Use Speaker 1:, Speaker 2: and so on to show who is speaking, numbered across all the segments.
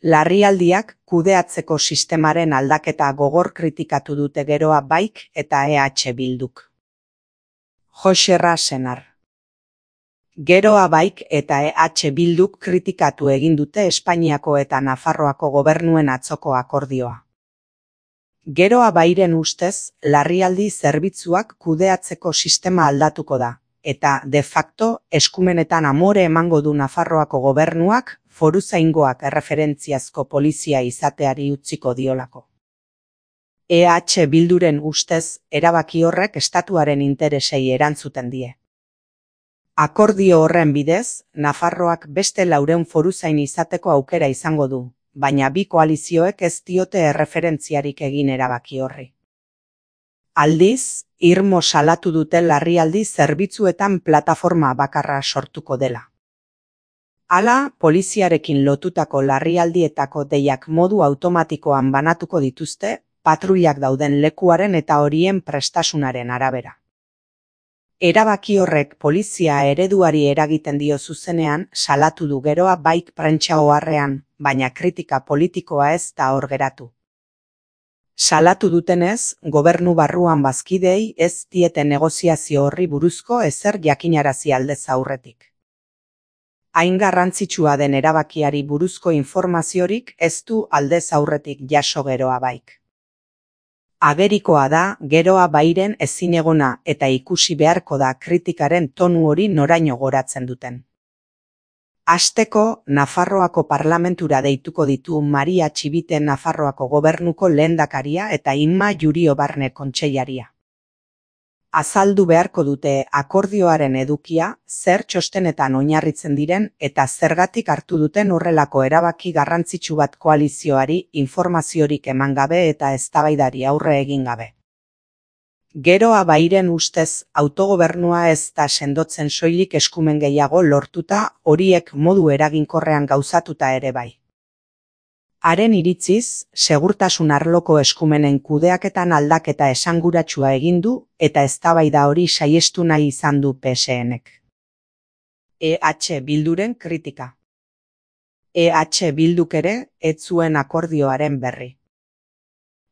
Speaker 1: Larrialdiak kudeatzeko sistemaren aldaketa gogor kritikatu dute Geroa Baik eta EH Bilduk. Joxerra Senar. Geroa Baik eta EH Bilduk kritikatu egin dute Espainiako eta Nafarroako gobernuen atzoko akordioa. Geroa Bairen ustez, larrialdi zerbitzuak kudeatzeko sistema aldatuko da, eta de facto eskumenetan amore emango du Nafarroako gobernuak foruzaingoak erreferentziazko polizia izateari utziko diolako. EH Bilduren ustez, erabaki horrek estatuaren interesei erantzuten die. Akordio horren bidez, Nafarroak beste 400 foruzain izateko aukera izango du, baina bi koalizioek ez diote erreferentziarik egin erabaki horri. Aldiz, irmo salatu dute larrialdi zerbitzuetan plataforma bakarra sortuko dela. Hala, poliziarekin lotutako larrialdietako deiak modu automatikoan banatuko dituzte, patruilak dauden lekuaren eta horien prestasunaren arabera. Erabaki horrek polizia ereduari eragiten dio zuzenean salatu du Geroa Baik prentsa oharrean, baina kritika politikoa ez da hor geratu. Salatu dutenez, gobernu barruan bazkideei ez diete negoziazio horri buruzko ezer jakinarazi aldez aurretik. Hain garrantzitsua den erabakiari buruzko informaziorik ez du aldez aurretik jaso Geroa Baik. Agerikoa da Geroa Bairen ezinegona eta ikusi beharko da kritikaren tonu hori noraino goratzen duten. Hasteko, Nafarroako parlamentura deituko ditu Maria Txibite Nafarroako gobernuko lehendakaria eta Inma Jurio Barne kontseilaria. Azaldu beharko dute akordioaren edukia, zer txostenetan oinarritzen diren eta zergatik hartu duten horrelako erabaki garrantzitsu bat koalizioari informaziorik eman gabe eta eztabaidari aurre egin gabe. Geroa Bairen ustez autogobernua ez da sendotzen soilik eskumen gehiago lortuta horiek modu eraginkorrean gauzatuta ere bai. Haren iritziz, segurtasun arloko eskumenen kudeaketan aldaketa esanguratsua egin du eta eztabaida hori saihestu nahi izan du PSNek. EH Bilduren kritika. EH Bilduk ere ez zuen akordioaren berri.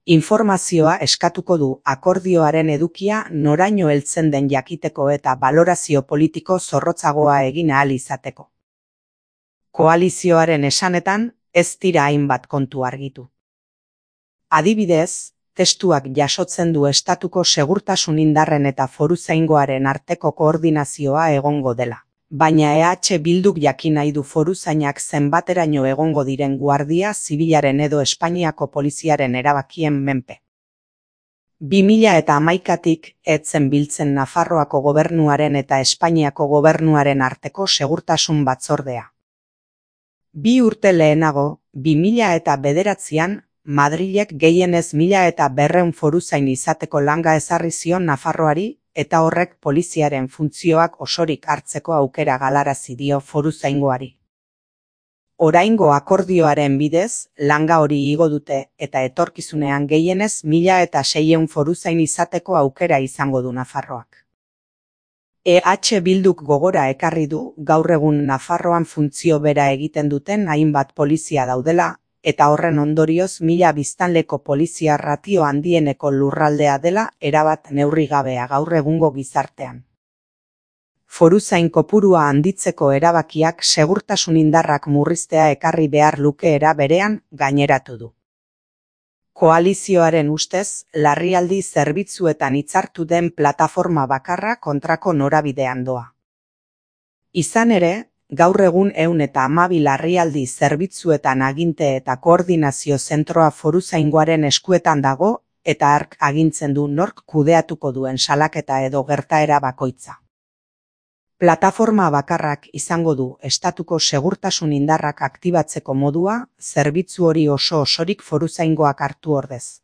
Speaker 1: Informazioa eskatuko du akordioaren edukia noraino heltzen den jakiteko eta balorazio politiko zorrotzagoa egin ahal izateko. Koalizioaren esanetan, ez dira hainbat kontu argitu. Adibidez, testuak jasotzen du estatuko segurtasun indarren eta foruzaingoaren arteko koordinazioa egongo dela. Baina EH Bilduk jakin nahi du foruzainak zenbateraino egongo diren guardia zibilaren edo Espainiako poliziaren erabakien menpe. 2011tik etzen biltzen Nafarroako gobernuaren eta Espainiako gobernuaren arteko segurtasun batzordea. 2 urte lehenago, 2009an, Madrilek gehienez 1200 foruzain izateko langa ezarri zion Nafarroari eta horrek poliziaren funtzioak osorik hartzeko aukera galarazi dio foruzaingoari. Oraingo akordioaren bidez, langa hori igo dute eta etorkizunean gehienez 1600 foruzain izateko aukera izango du Nafarroak. EH Bilduk gogora ekarri du gaur egun Nafarroan funtzio bera egiten duten hainbat polizia daudela, eta horren ondorioz 1000 biztanleko polizia ratio handieneko lurraldea dela erabat neurrigabea gaur egungo gizartean. Foruzain kopurua handitzeko erabakiak segurtasun indarrak murriztea ekarri behar lukeera berean gaineratu du. Koalizioaren ustez, larrialdi zerbitzuetan hitzartu den plataforma bakarra kontrako norabidean doa. Izan ere, gaur egun 112 larrialdi zerbitzuetan aginte eta koordinazio zentroa foruzaingoaren eskuetan dago eta hark agintzen du nork kudeatuko duen salaketa edo gertaera bakoitza. Plataforma bakarrak izango du estatuko segurtasun indarrak aktibatzeko modua, zerbitzu hori osorik foruzaingoak hartu ordez.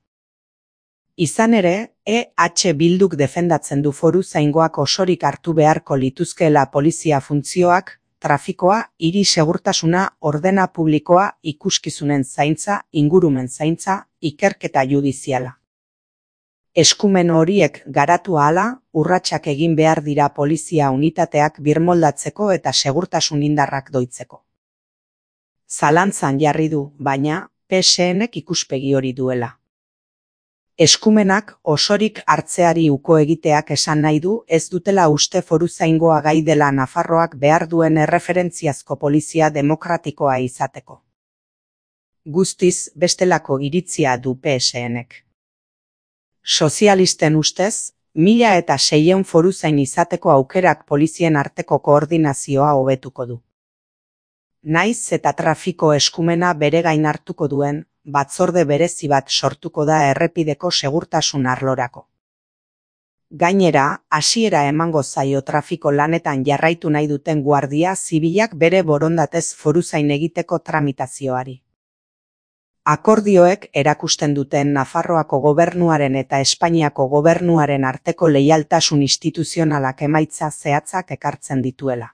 Speaker 1: Izan ere, EH Bilduk defendatzen du foruzaingoak osorik hartu beharko lituzkeela polizia funtzioak, trafikoa, hiri segurtasuna, ordena publikoa, ikuskizunen zaintza, ingurumen zaintza, ikerketa judiziala. Eskumen horiek garatu ahala, urratsak egin behar dira polizia unitateak birmoldatzeko eta segurtasun indarrak doitzeko. Zalantzan jarri du, baina, PSNek ikuspegi hori duela. Eskumenak osorik hartzeari uko egiteak esan nahi du ez dutela uste foruzaingoa gai dela Nafarroak behar duen erreferentziazko polizia demokratikoa izateko. Guztiz bestelako iritzia du PSNek. Sozialisten ustez, 1600 foruzain izateko aukerak polizien arteko koordinazioa hobetuko du. Naiz eta trafiko eskumena bere gain hartuko duen, batzorde berezi bat sortuko da errepideko segurtasun arlorako. Gainera, hasiera emango zaio trafiko lanetan jarraitu nahi duten guardia zibilak bere borondatez foruzain egiteko tramitazioari. Akordioek erakusten duten Nafarroako gobernuaren eta Espainiako gobernuaren arteko leialtasun instituzionalak emaitza zehatzak ekartzen dituela.